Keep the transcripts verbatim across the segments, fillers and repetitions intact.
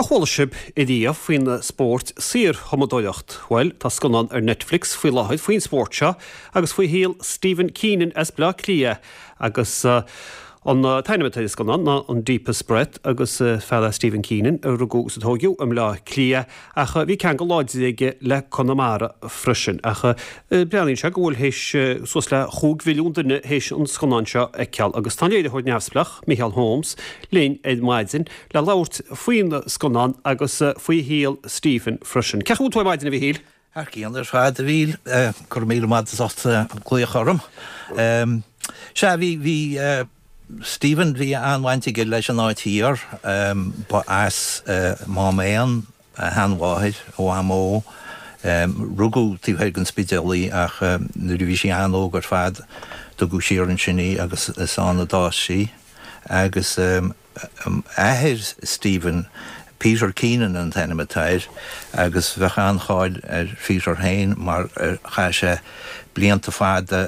Ar chuala sibh ariamh faoin spórt saorthumadóireacht? Bhuel, tá scannán ar Netflix faoi láthair faoin spórt seo agus faoi shaol Stephen Keenan as Bleá Cliath agus uh, an t-ainm atá ar an scannán ná an Deepest Breath agus uh, fear é Stephen Keenan a rugadh is a tógadh i mBleá Cliath ach uh, bhí ceangal láidir aige le Conamara freisin ach uh, breathnaíonn sé go bhfuil théis uh, suas le chúig mhilliún duine théis an scannán seo a fheiceáil agus tá léiritheoir neamhspleách Micheál Holmes linn ar maidin le labhairt faoin scannán agus uh, faoi shaol Stephen freisin. Cén chaoi a bhfuil tú ar maidin a Mhichíl? Thar cionn ar fad a Mhíchíl go raibh míle maith as ucht glaoch orm. Sea bhí bhí Stephen bhí an-bhaint aige leis an áit thiar ba as Máméan a sheanmháthair a mhamó rugadh taobh thoir den Spidéal í ach nuair a bhí sí an-óg ar fad tugadh siar ansin í agus is ann a d'fhás sí agus athair Stephen Peter Keenan an t-ainm atá air agus bheadh an-cháil ar Peter féin mar chaith sé blianta fada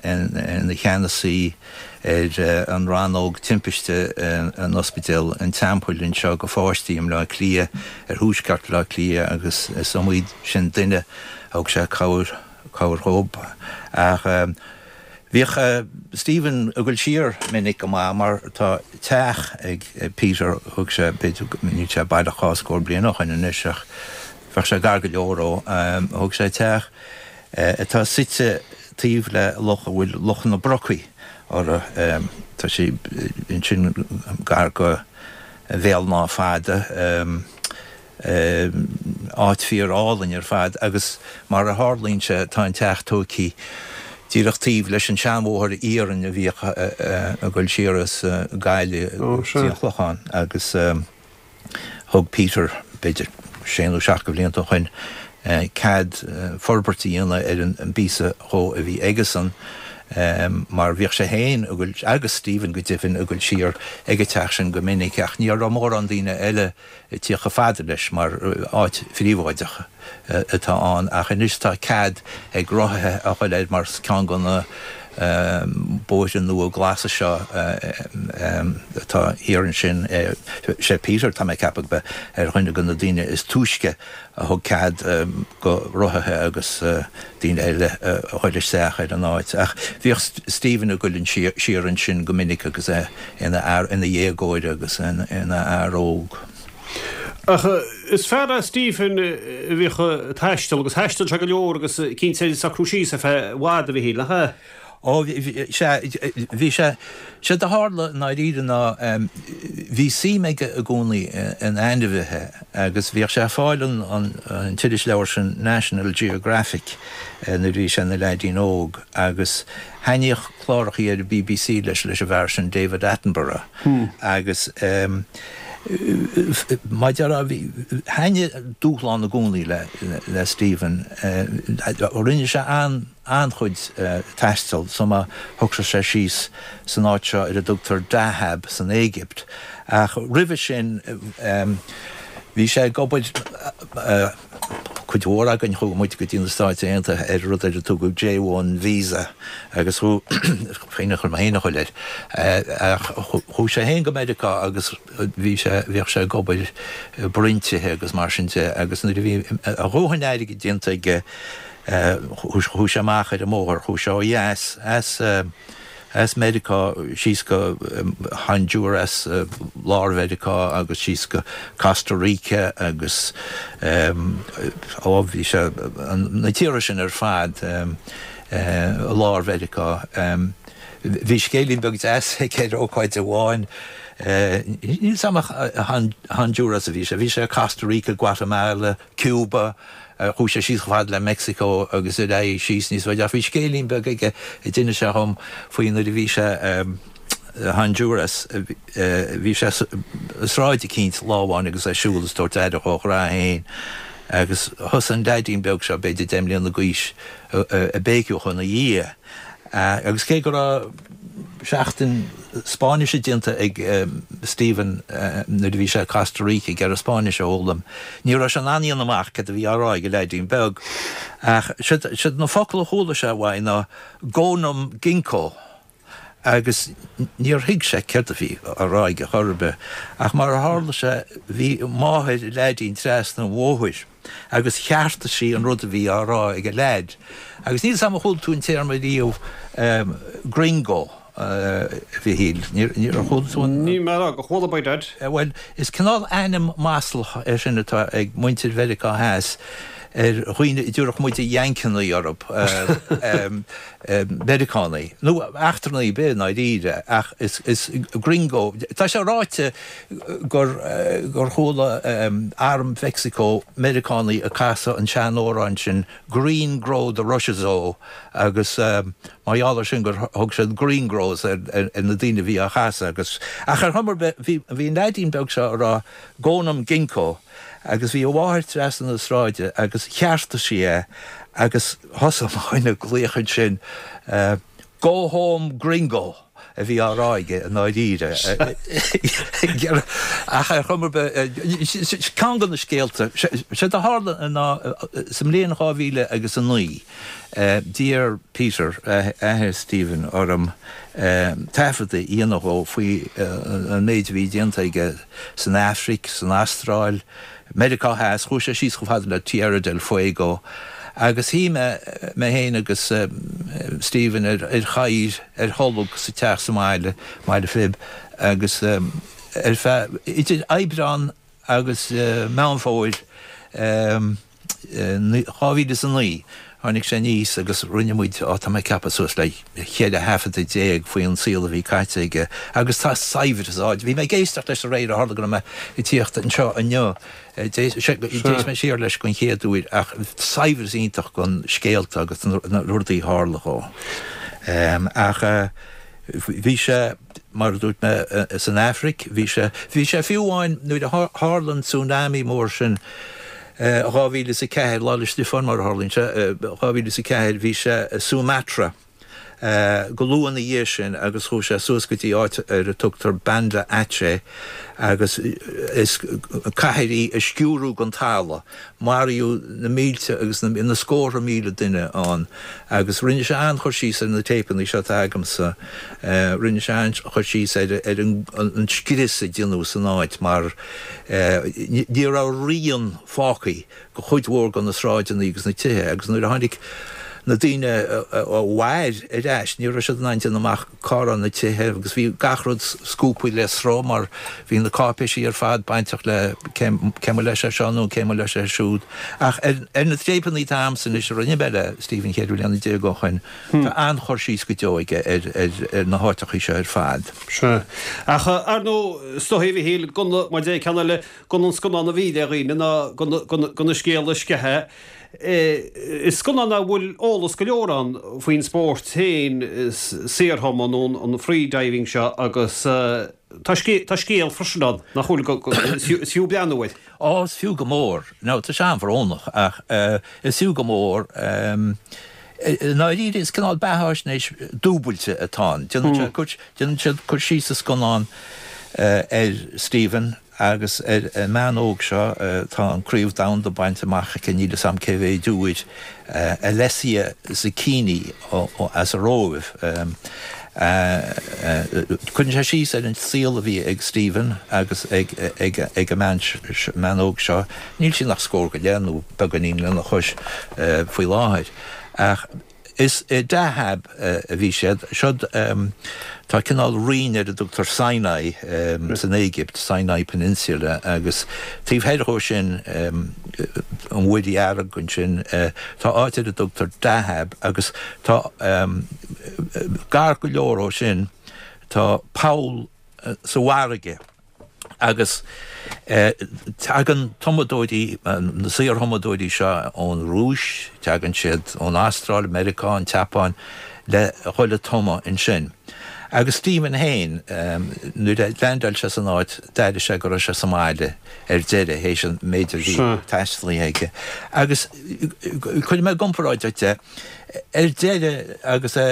ina cheannasaí ar an rannóg timpiste an ospidéal an Teampaill anseo do pháistí i mBleá Cliath ar thuaisceart Bhleá Cliath agus is iomaí sin duine thug sé cabhair cabhair dhób ach Bhíodh Stephen ag dul siar minic go maith mar tá teach ag Peter thug sé níl sé baileach dhá scór bliain ó shin anois ach bheadh sé gar go leor ó thug sé teach atá suite taobh le loch a bhfuil Loch na Brocaí orthu tá sé ansin gar go Bhéal an Átha Fada áit fíor álainn ar fad agus mar a tharlaíonn sé tá an teach tógtha díreach taobh leis an seanbhóthar iarainn a bhíodh ag dul siar as Gaillimh go dtí an Clochán agus thug Peter b'fhéidir sé nó seacht de bhlianta ó shin cead forbairt a dhéanamh ar an bpíosa dhó a bhí aigesan mar bhíodh sé féin agus Stephen go deimhin ag dul siar ag an teach sin go minic ach ní raibh mórán daoine eile ag tíocht chomh fada leis mar áit phríobháideach atá ann ach anois tá cead ag rothaithe a dhul air mar ceann de na bóithre nua glasa seo atá thiar ansin sé Peter tá mé ag ceapadh bheith ar dhuine de na daoine is túisce a thug cead do rothaithe agus daoine eile a dhul isteach ar an áit ach bhíodh Stephen ag dul siar ansin go minic agus é ina ina dhéagóir agus ina fhear óg. Ach is fear é Stephen a bhíodh ag taisteal agus thaistil sé go leor agus cinnte socrú síos ar feadh i bhfad a Mhichíl nach ea? Ó bhí sé sé a tharla i ndáiríre ná bhí suim aige i gcónaí in ainmhithe agus bhíodh sé ag fáil an an t-irisleabhar sin National Geographic nuair a bhí sé ina leaidín óg agus thaitníodh clárachaí ar an BBC leis leis an bhfear sin David Attenborough agus mar a déarfá thaitnigh dúshlán i gcónaí le le Stephen rinne sé an an-chuid taistil so má shocraigh sé síos san áit seo ar a dtugtar Dahab san Éigipt ach roimhe sin bhí sé ag obair cuid mhór againn chuaigh muid go dtí na Stáit Aontaithe ar rud ar a tugadh J one visa agus chuaigh chuir mé féin a dhul air ach chuaigh sé féin go Meiriceá agus bhí sé bhíodh sé ag obair i bproinntithe agus mar sin de agus nuair a bhí a dhóthain airgid déanta aige chuaigh sé amach ar an mbóthar chuaigh sé ó dheas as as Meiriceá síos go Honduras lár Mheiriceá agus síos go Costa Rica agus ó bhí sé na tíortha sin ar fad lár Mheiriceá. Bhí scéilín beag deas aige ar ócáid amháin níl 's agam ach Honduras a bhí sé, bhí sé Costa Rica, Guatemala, Cuba, chuaigh sé síos chomh fada le Mexico agus ar aghaidh síos níos faide ach bhí scéilín beag aige a d'inis sé dhom faoi nuair a bhí sé i Honduras bhí sé i sráid eicínt lá amháin agus é ag siúl is ag tabhairt aire dhá ghra féin agus thosaigh an leaidín beag seo b'fhéidir deich mbliana d'aois ag béiceadh ina dhiaidh agus cé go raibh seachtain Spáinnise déanta ag Stephen nuair a bhí sé i Costa Rica ag iarraidh Spáinnis a fhoghlaim, ní raibh sé in ann a dhéanamh amach cad a bhí á rá ag an leaidín beag. Ach siad na focail a chuala sé uaidh ná Go num ginko. Agus níor thuig sé céard a bhí á rá aige chor ar bith, ach mar a tharla sé bhí máthair an leaidín trasna an bhóthair agus cheartaigh sí an rud a bhí á rá ag an leaid. Agus níl 's a'm ar chuala tú an téarma riamh gringo, a Mhichíl, níor chuala tú an. Níl mé a rá gur chuala, by dad. Bhuel, is cineál ainm maslach é sin atá ag muintir Mheiriceá Theas ar dhaoine a dtabharfadh muide Yankeeanna orthu, Meiriceánaigh, nó eachtrannaigh ar bith i ndáiríre, ach is gringo. Tá sé ráite gur gur chuala arm Mheicsiceo Meiriceánaigh ag casadh an seanamhrán sin Green Grow the Rushes O agus mar gheall air sin gur thug siad gringos ar na daoine a bhí á chasadh agus ach ar chuma ar bith bhí an leaidín beag seo ag rá Go-nam Ginkgo Agus bhí a mháthair trasna na sráide agus cheartaigh sí é agus thosaigh mo dhuine ag glaoch ansin Go home gringo! a bhí á rá aige i ndáiríre. Ach ar chuma ar bith, ceann de na scéalta, séard a tharla ná sa mbliain dhá mhíle agus a naoi, d'iarr Peter, athair Stephen, orm taifead a dhéanamh dhó faoi an méid a bhí déanta aige san Afraic, san Astráil, Meiriceá Theas, chuaigh sé síos chomh fada le Tierra del Fuego, agus shuigh mé, mé féin agus Stephen ar chathaoir ar tholg sa teach sa mbaile, Baile Phib, agus ar feadh idir Aibreán agus Meán Fómhair, dhá mhíle is a naoi, tháinig sé aníos agus rinne muid, á, tá mé ag ceapadh suas le cheithre thaifeadadh déag faoi an saol a bhí caite aige agus tá saibhreas ann. Bhí mé ag éisteacht leis aréir, ó tharla go raibh mé ag tíocht anseo inniu, d'éist mé siar leis den chéad uair ach saibhreas iontach den scéalta agus na rudaí a tharla dhó. Ach bhí sé, mar a dúirt mé, san Afraic, bhí sé, bhí sé fiú amháin nuair a tharla an tsunami mór sin dhá mhíle is a ceathair, Lá 'le Stiofáin mar a tharlaíonn sé, dhá mhíle is a ceathair, bhí sé i Sumatra go luath ina dhiaidh sin agus chuaigh sé suas go dtí áit ar a tugtar Banda Aceh agus is cathair í a sciúradh den talamh. Maraíodh na mílte agus na scórtha míle duine ann agus rinne sé an-chur síos ar na téipeanna seo atá agamsa, rinne sé an-chur síos ar an scrios a déanadh san áit mar ní raibh rian fágtha de chuid mhór de na sráideanna agus na tithe agus nuair a tháinig na daoine a mhair ar ais, ní raibh siad in ann déanamh amach cá raibh na tithe agus bhí gach rud scuabtha le sruth mar bhí na cáipéisí ar fad bainteach le cé mba leis é seo nó cé mba leis é siúd. Ach ar na téipeanna atá agamsa anois a rinne mé le Stephen cheithre bliana déag ó shoin, tá an-chur síos go deo aige ar na háiteachaí seo ar fad. Sea. Ach ar ndóigh, is dóigh, a Mhichíl, go, mar a deir ceann eile, gan an scannán a mhilleadh ar dhaoine ná gan an scéal a sceitheadh. Is scannán a bhfuil eolas go leor ann faoin spórt féin, saorthumadh nó an free diving seo agus tá scéal freisin ann nach bhfuil, is fiú breathnú air. Á, is fiú go mór. Now, tá sé an-bhrónach ach is fiú go mór. I ndáiríre, is cineál beathaisnéis dúbailte atá ann. Déanann siad cur síos sa scannán ar Stephen Agus ar an mbean óg seo, tá an Craobh Domhanda bainte amach aici, níl 'fhios a'm cé mhéid uair, Alessia Zecchini as an Róimh. Cuireann sé síos ar an saol a bhí ag Stephen agus ag an mbean óg seo, níl sí ach scór go leith nó beagáinín lena chois faoi láthair, ach Is i Dahab a bhí siad. Siod, tá cineál roinn ar a dtugtar Sinai san Éigipt, Sinai Peninsula, agus taobh thoir dhó sin, an Mhuir Dhearg ansin, tá áit ar a dtugtar Dahab agus tá, gar go leor ó sin, tá poll sa bhfarraige. Agus tagann tumadóirí, na saorthumadóirí seo ón Rúis, tagann siad ón Astráil, Meiriceá, an tSeapáin, le dhul ag tumadh ansin. Agus Stephen féin, nuair a leaindeáil sé san áit, d'airigh sé go raibh sé sa mbaile ar deireadh, théis an méid a bhí taistealaithe aige. Agus cuirfidh mé i gcomparáid duit é, ar deireadh, agus é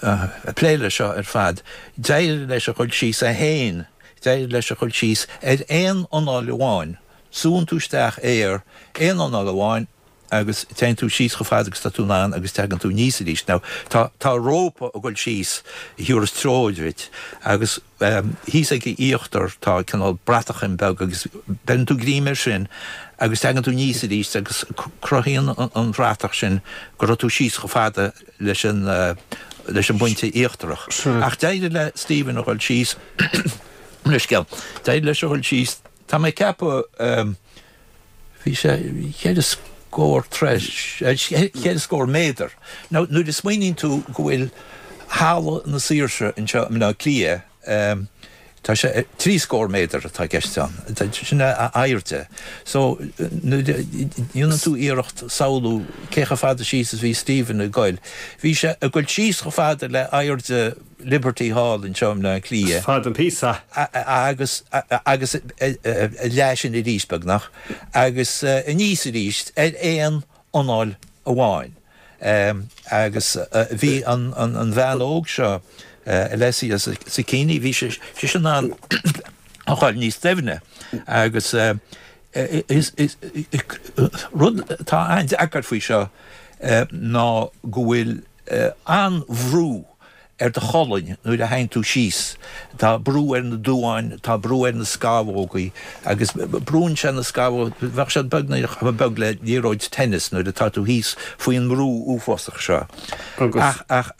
ag plé leis seo ar fad, d'éirigh leis a dhul síos é féin, d'éirigh leis a dhul síos ar aon anáil amháin, súnn tú isteach aer, aon anáil amháin agus téann tú síos chomh fada agus tá tú in ann agus teagann tú aníos arís. Now tá tá rópa ag dul síos a thabharfas treoir duit agus thíos ag a íochtar tá cineál bratachín beag agus beireann tú greim air sin agus teagann tú aníos arís agus cruthaíonn an bhratach sin go raibh tú síos chomh fada leis an leis an bpointe íochtarach. Ach d'éirigh le Stephen a dhul síos leithscéal, d'éirigh leis a dhul síos, tá mé ag ceapadh bhí sé ceithre scór troigh, ceithre scór méadar. Now nuair a smaoiníonn tú go bhfuil Halla na Saoirse anseo i mBleá Cliath, tá sé trí scór méadar atá i gceist ann, sin a airde. So nuair a dhéanann tú iarracht samhlú cé chomh fada síos is bhí Stephen ag goil, bhí sé ag goil síos chomh fada le airde Liberty Hall anseo i mBleá Cliath. Fada an píosa. Agus agus a leath sin arís beagnach agus aníos arís ar aon anáil amháin. Agus bhí an bhean óg seo, Alessia Zecchini, bhí sise in ann a ghoil níos doimhne agus rud atá an-deacair faoi seo ná go bhfuil an-bhrú ar do cholainn nuair a théann tú síos. Tá brú ar na duáin, tá brú ar na scamhógaí agus brúnn sé na scamhógaí, bheadh siad beagnach chomh beag le liathróid tennis nuair atá tú thíos faoin mbrú uafásach seo. Ach ach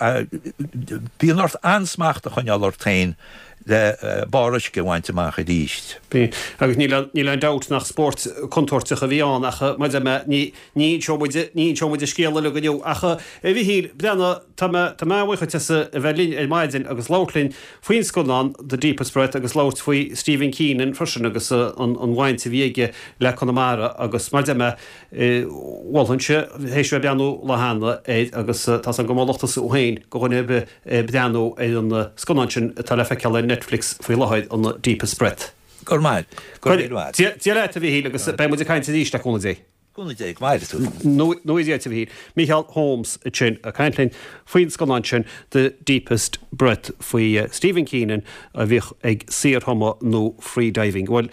bíonn ort an-smacht a choinneáil ort féin le barr uisce a bhaint amach arís. Bíonn. Agus níl níl aon dabht nach spórt contúirteach a bhí ann ach mar a deir mé, ní ní inseoidh muid ní inseoidh muid an scéal uilig inniu ach a Mhichíl, breathnaigh, tá mé tá mé an-bhuíoch duit as a bheith linn ar maidin agus labhairt linn faoin scannán The Deepest Breath agus labhairt faoi Stephen Keenan freisin agus an an bhaint a bhí aige le Conamara agus mar a deir mé, mholfainnse théis bheith ag breathnú lá cheana air agus tá 's agam go molfadh tusa thú féin do dhuine ar bith breathnú ar an scannán sin atá le feiceáil ar Netflix faoi láthair, an Deepest Breath. Go raibh maith. Go raibh míle maith. Dia leat a Mhichíl agus beidh muid ag caint arís le cúnamh Dé. Cúnamh Dé, go maire tú. Nó Dia duit a Mhichíl. Mícheál Holmes ansin ag caint linn faoin scannán sin The Deepest Breath faoi Stephen Keenan a bhíodh ag saorthumadh nó freediving. Bhuel,